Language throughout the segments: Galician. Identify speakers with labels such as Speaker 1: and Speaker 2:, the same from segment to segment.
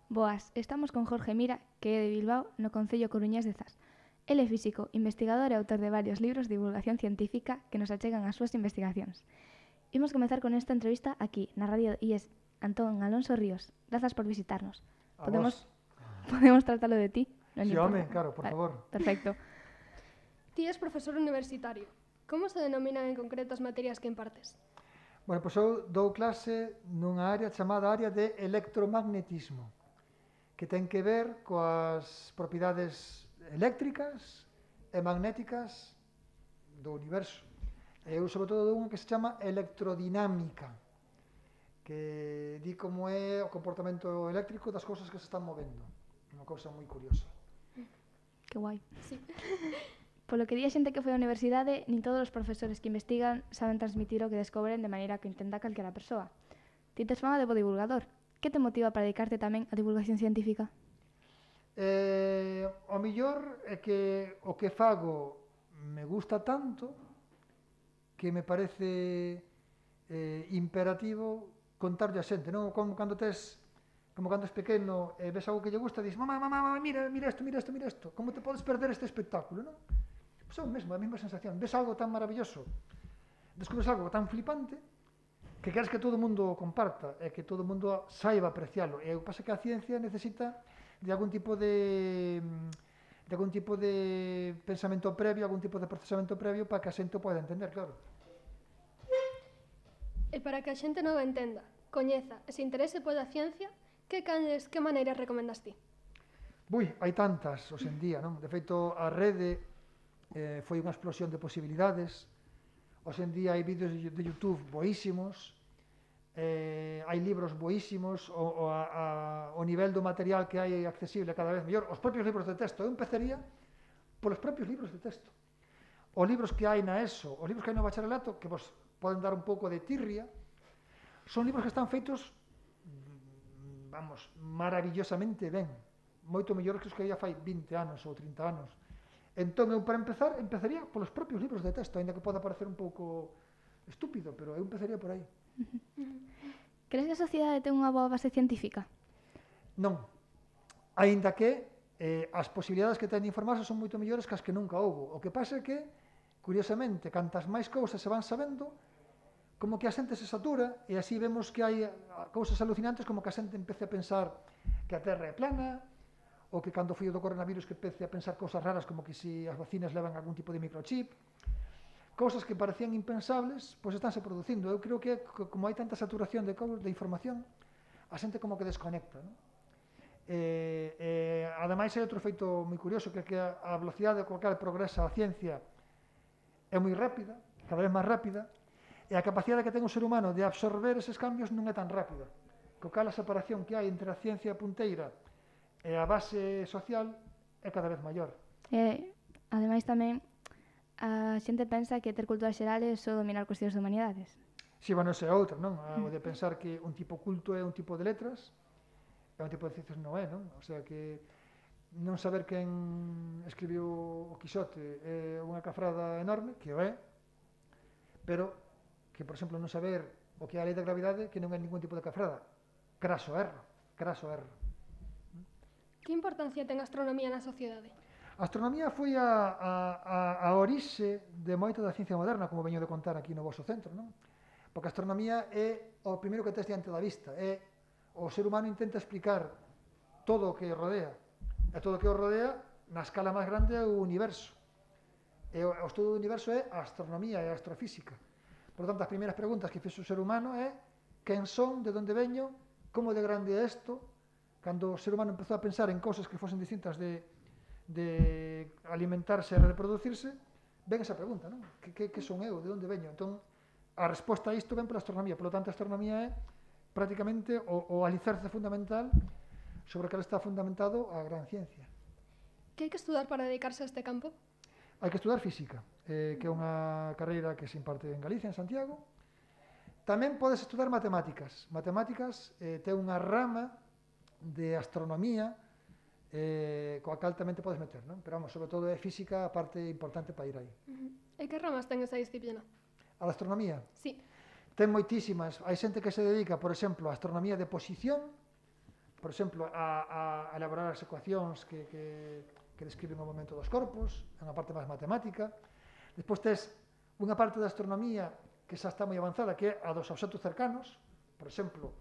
Speaker 1: Boas, estamos con Jorge Mira, que é de Bilbao, no concello coruñés de Zas. El é físico, investigador e autor de varios libros de divulgación científica que nos achegan as súas investigacións. Imos comezar con esta entrevista aquí, na radio IES Antón Alonso Ríos. Grazas por visitarnos. Podemos tratalo de ti?
Speaker 2: Non sí, home, claro, por favor.
Speaker 1: Perfecto.
Speaker 3: Ti és profesor universitario. Como se denominan en concreto as materias que impartes?
Speaker 2: Bueno, pois eu dou clase nunha área chamada área de electromagnetismo, que ten que ver coas propiedades eléctricas e magnéticas do universo. Eu, sobre todo, dou unha que se chama electrodinámica, que di como é o comportamento eléctrico das cousas que se están movendo. Unha cousa moi curiosa.
Speaker 1: Que guai.
Speaker 3: Sí.
Speaker 1: Polo que di a xente que foi á universidade, nin todos os profesores que investigan saben transmitir o que descobren de maneira que intenta calquera persoa. Ti tes fama de bo divulgador. Que te motiva para dedicarte tamén á divulgación científica?
Speaker 2: O mellor é que o que fago me gusta tanto que me parece imperativo contarlle a xente, non? Como cando es pequeno e ves algo que lle gusta, dices, mamá, mira isto, como te podes perder este espectáculo, non? Pois é o mesmo, a mesma sensación, ves algo tan maravilloso, descubres algo tan flipante, que queres que todo o mundo comparta, e que todo o mundo saiba aprecialo, e o que pasa é que a ciencia necesita de algún tipo de pensamento previo, algún tipo de procesamento previo para que a xente o poida entender, claro.
Speaker 3: E para que a xente non o entenda, coñeza e se interese pola ciencia, que maneiras recomendas ti?
Speaker 2: Hai tantas hoxe en día, non? De feito, a rede foi unha explosión de posibilidades. Hoxe en día hai vídeos de YouTube boísimos, hai libros boísimos, o nivel do material que hai accesible cada vez mellor. Os propios libros de texto, eu empezaría polos propios libros de texto. Os libros que hai na ESO, os libros que hai no bacharelato, que vos poden dar un pouco de tirria, son libros que están feitos, maravillosamente ben, moito mellor que os que había fai 20 anos ou 30 anos. Entón, eu para empezar, empezaría polos propios libros de texto, aínda que poda parecer un pouco estúpido, pero eu empezaría por aí.
Speaker 1: Crees que a sociedade ten unha boa base científica?
Speaker 2: Non. Aínda que as posibilidades que ten de informarse son moito mellores que as que nunca houbo. O que pasa é que, curiosamente, cantas máis cousas se van sabendo, como que a xente se satura, e así vemos que hai cousas alucinantes, como que a xente empece a pensar que a Terra é plana, ou que cando foi o do coronavirus que empece a pensar cousas raras como que se as vacinas levan algún tipo de microchip, cousas que parecían impensables, pois estánse producindo. Eu creo que como hai tanta saturación de información, a xente como que desconecta, non? Ademais, hai outro feito moi curioso, que é que a velocidade coa cal progresa a ciencia é moi rápida, cada vez máis rápida, e a capacidade que ten o ser humano de absorber eses cambios non é tan rápida. Co cal a separación que hai entre a ciencia punteira e a base social é cada vez maior.
Speaker 1: Ademais tamén, a xente pensa que ter cultura xeral é só dominar cuestións de humanidades.
Speaker 2: Si, bueno, esa é outra, non? O de pensar que un tipo culto é un tipo de letras, e un tipo de ciencias non é, non? O sea que non saber quen escribiu o Quixote é unha cafrada enorme, que o é, pero que, por exemplo, non saber o que é a lei da gravidade, que non é ningún tipo de cafrada. Craso erro.
Speaker 3: Que importancia ten a astronomía na sociedade?
Speaker 2: A astronomía foi a orixe de moita da ciencia moderna, como veño de contar aquí no vosso centro, non? Porque a astronomía é o primeiro que tes diante da vista, o ser humano intenta explicar todo o que rodea, e todo o que o rodea na escala máis grande é o universo. E o estudo do universo é a astronomía e a astrofísica. Por tanto, as primeiras preguntas que fixo o ser humano é quen son, de onde veño, como de grande é isto. Cando o ser humano empezou a pensar en cousas que fosen distintas de alimentarse e reproducirse, ven esa pregunta, non? Que son eu? De onde veño? Entón, a resposta a isto ven pola astronomía. Por lo tanto, a astronomía é prácticamente o alicerce fundamental sobre o que está fundamentado a gran ciencia.
Speaker 3: Que hai que estudar para dedicarse a este campo?
Speaker 2: Hai que estudar física, que é unha carreira que se imparte en Galicia, en Santiago. Tamén podes estudar matemáticas. Matemáticas ten unha rama de astronomía coa cal tamén te podes meter, non? Pero vamos, sobre todo é física a parte importante para ir aí.
Speaker 3: E que ramas ten esa disciplina?
Speaker 2: A da astronomía?
Speaker 3: Sí.
Speaker 2: Ten moitísimas. Hai xente que se dedica, por exemplo, a astronomía de posición, por exemplo, a elaborar as ecuacións que describen o movimento dos corpos, é unha parte máis matemática. Despois tes unha parte da astronomía que xa está moi avanzada, que é a dos obxectos cercanos, por exemplo,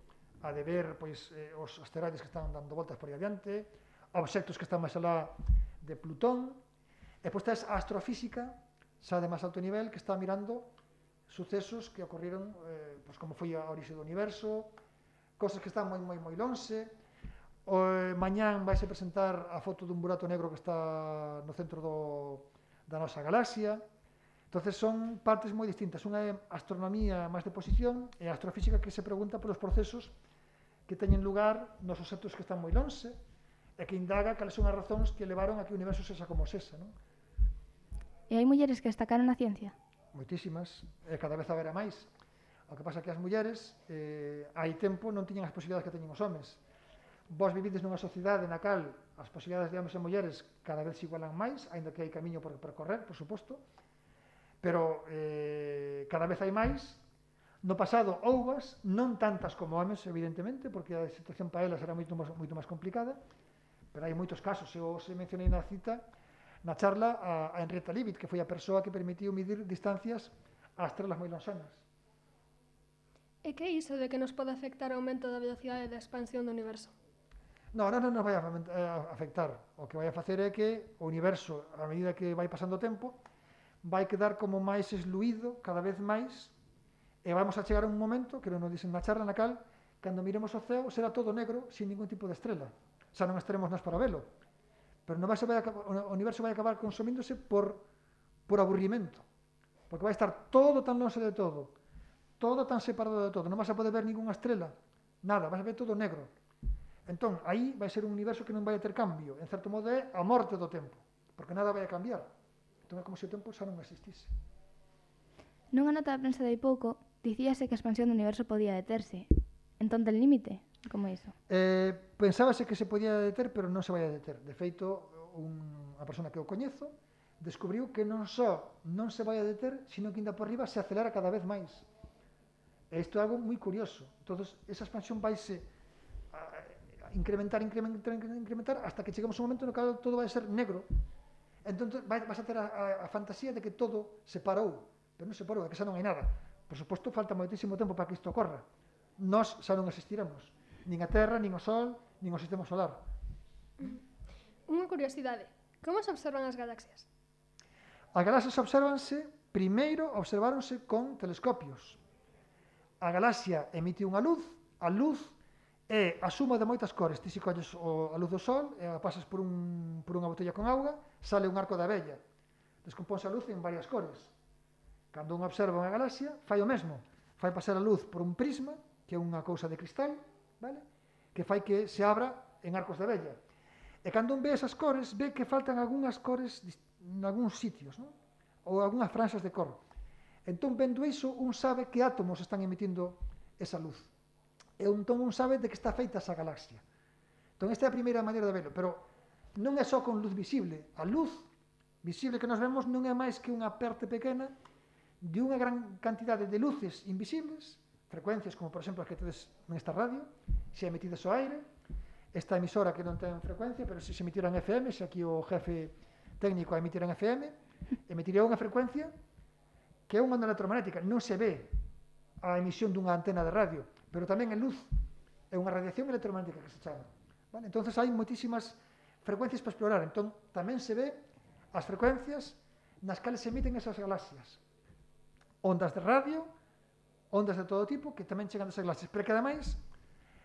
Speaker 2: a de ver pois, os asteroides que están dando voltas por aí adiante, obxectos que están máis alá de Plutón, e depois tes a astrofísica, xa de máis alto nivel, que está mirando sucesos que ocorreron, pois como foi a orixe do universo, cosas que están moi lonxe. Mañán vaise presentar a foto dun burato negro que está no centro da nosa galaxia. Entonces son partes moi distintas. Unha é astronomía máis de posición e a astrofísica que se pregunta polos procesos que teñen lugar nos obxectos que están moi lonxe e que indaga cales son as razóns que levaron a que o universo sexa como sexa, non?
Speaker 1: E hai mulleres que destacaron na ciencia?
Speaker 2: Moitísimas, e cada vez haberá máis. O que pasa é que as mulleres hai tempo non tiñan as posibilidades que teñen os homes. Vos vivides nunha sociedade na cal as posibilidades de homes e mulleres cada vez se igualan máis, aínda que hai camiño por percorrer, por suposto, pero cada vez hai máis. No pasado houbas, non tantas como homes, evidentemente, porque a situación para elas era moito máis complicada, pero hai moitos casos. Eu se mencionei na cita, na charla, a Henrietta Leavitt, que foi a persoa que permitiu medir distancias a estrelas moi lonxanas.
Speaker 3: E que é iso de que nos pode afectar o aumento da velocidade da expansión do universo?
Speaker 2: Non nos vai a afectar. O que vai a facer é que o universo, a medida que vai pasando o tempo, vai quedar como máis esluído cada vez máis, e vamos a chegar a un momento, que nos dicen na charla na cal, cando miremos o ceo, será todo negro, sin ningún tipo de estrela. Xa non estaremos nós para velo. Pero o universo vai acabar consumíndose por aburrimento. Porque vai estar todo tan longe de todo tan separado de todo. Non vas a poder ver ningunha estrela, nada, vas a ver todo negro. Entón, aí vai ser un universo que non vai a ter cambio. En certo modo é a morte do tempo, porque nada vai a cambiar. Entón é como se o tempo xa non existise.
Speaker 1: Nunha nota de prensa de hai pouco, dicíase que a expansión do universo podía deterse. Entón, ten límite? Como iso?
Speaker 2: Pensábase que se podía deter, pero non se vai a deter. De feito, a persona que o coñezo descubriu que non só non se vai a deter, sino que ainda por riba se acelera cada vez máis. E isto é algo moi curioso. Entón, esa expansión vaise incrementar hasta que chegamos a un momento no que todo vai ser negro. Entón vas a ter a fantasía de que todo se parou, pero non se parou, é que xa non hai nada. Por suposto, falta moitísimo tempo para que isto ocorra. Nós xa non existiremos, nin a Terra, nin o Sol, nin o sistema solar.
Speaker 3: Unha curiosidade, como se observan as galaxias?
Speaker 2: As galaxias primeiro observáronse con telescopios. A galaxia emite unha luz, a luz é a suma de moitas cores. Ti se colles a luz do sol e a pasas por unha botella con auga, sale un arco da vella. Descompónse a luz en varias cores. Cando un observa unha galaxia, fai o mesmo. Fai pasar a luz por un prisma, que é unha cousa de cristal, vale? Que fai que se abra en arcos da vella. E cando un ve esas cores, ve que faltan algunhas cores en algúns sitios, non? Ou algunhas franxas de cor. Entón, vendo iso, un sabe que átomos están emitindo esa luz. E entón un sabe de que está feita esa galaxia. Entón, esta é a primeira maneira de verlo, pero non é só con luz visible. A luz visible que nos vemos non é máis que unha parte pequena de unha gran cantidade de luces invisibles, frecuencias como, por exemplo, as que tedes nesta radio, se emitidas ao aire, esta emisora que non ten frecuencia, pero se emitiran FM, se aquí o jefe técnico a emitir en FM, emitiría unha frecuencia que é unha onda electromagnética. Non se ve a emisión dunha antena de radio, pero tamén é luz, é unha radiación electromagnética que se chama. Vale? Entón, hai moitísimas frecuencias para explorar. Entón, tamén se ve as frecuencias nas cales se emiten esas galaxias. Ondas de radio, ondas de todo tipo, que tamén chegan desas galaxias. Pero que, ademais,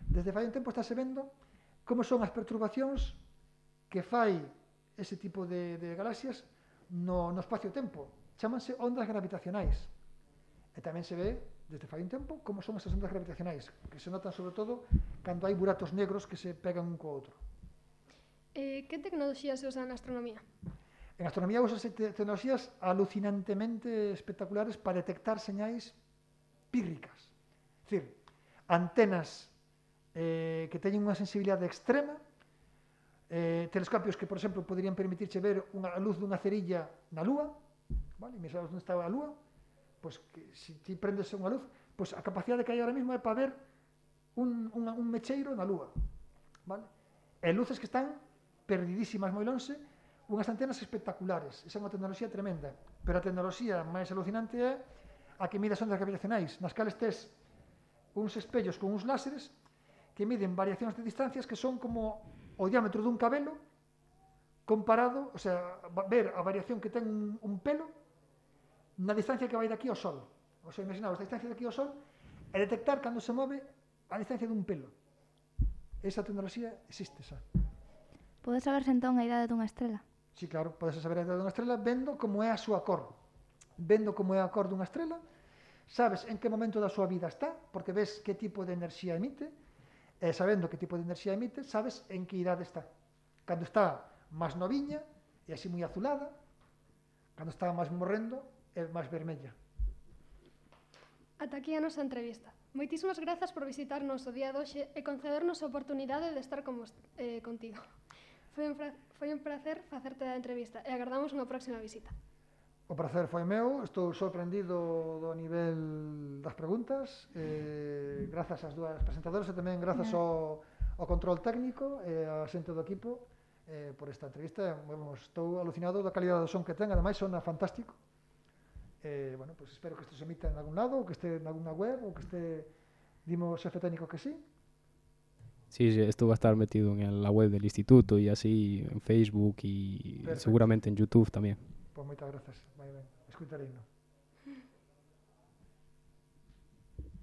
Speaker 2: desde fai un tempo estáse vendo como son as perturbacións que fai ese tipo de galaxias no espacio-tempo. Chámanse ondas gravitacionais. E tamén se ve, desde fai un tempo, como son esas ondas gravitacionais, que se notan sobre todo cando hai buratos negros que se pegan un co outro.
Speaker 3: Que tecnoloxías se usan na astronomía?
Speaker 2: En astronomía usan tecnoloxías alucinantemente espectaculares para detectar señais pírricas. É dicir, antenas que teñen unha sensibilidade extrema, telescopios que, por exemplo, poderían permitirche ver a luz dunha cerilla na Lúa, vale? E sabes onde está a Lúa, pois que se ti prendes unha luz, pois a capacidade que hai ahora mesmo é para ver un mecheiro na Lúa. vale? E luces que están perdidísimas moi lonxe, unhas antenas espectaculares. Esa é unha tecnoloxía tremenda. Pero a tecnoloxía máis alucinante é a que mide as ondas gravitacionais, nas cales tes uns espellos con uns láseres que miden variacións de distancias que son como o diámetro dun cabelo comparado, o sea, ver a variación que ten un pelo na distancia que vai daqui ao Sol. O sea, imaginaos a distancia daqui ao Sol e detectar cando se move a distancia dun pelo. Esa tecnoloxía existe xa.
Speaker 1: Pode saberse entón a idade dunha estrela?
Speaker 2: Sí, claro, podes saber a idade dunha estrela vendo como é a súa cor. Vendo como é a cor dunha estrela, sabes en que momento da súa vida está, porque ves que tipo de enerxía emite, e sabendo que tipo de enerxía emite, sabes en que idade está. Cando está máis noviña, e así moi azulada, cando está máis morrendo, é máis vermella.
Speaker 3: Ata aquí a nosa entrevista. Moitísimas grazas por visitarnos o día de hoxe e concedernos a oportunidade de estar contigo. Foi un placer facerte a entrevista e agardamos unha próxima visita.
Speaker 2: O prazer foi meu, estou sorprendido do nivel das preguntas, grazas ás dúas presentadoras e tamén grazas ao control técnico e a xente do equipo por esta entrevista. Estou alucinado da calidade do son que ten, ademais sona fantástico. Bueno, pues espero que isto se emita en algún lado, ou que este en alguna web, ou que este, dimos xefe técnico que sí.
Speaker 4: Sí, esto va a estar metido en la web del instituto y así en Facebook y
Speaker 2: Perfecto.
Speaker 4: seguramente en YouTube también.
Speaker 2: Pois moitas grazas, vai ben, escutarei, non?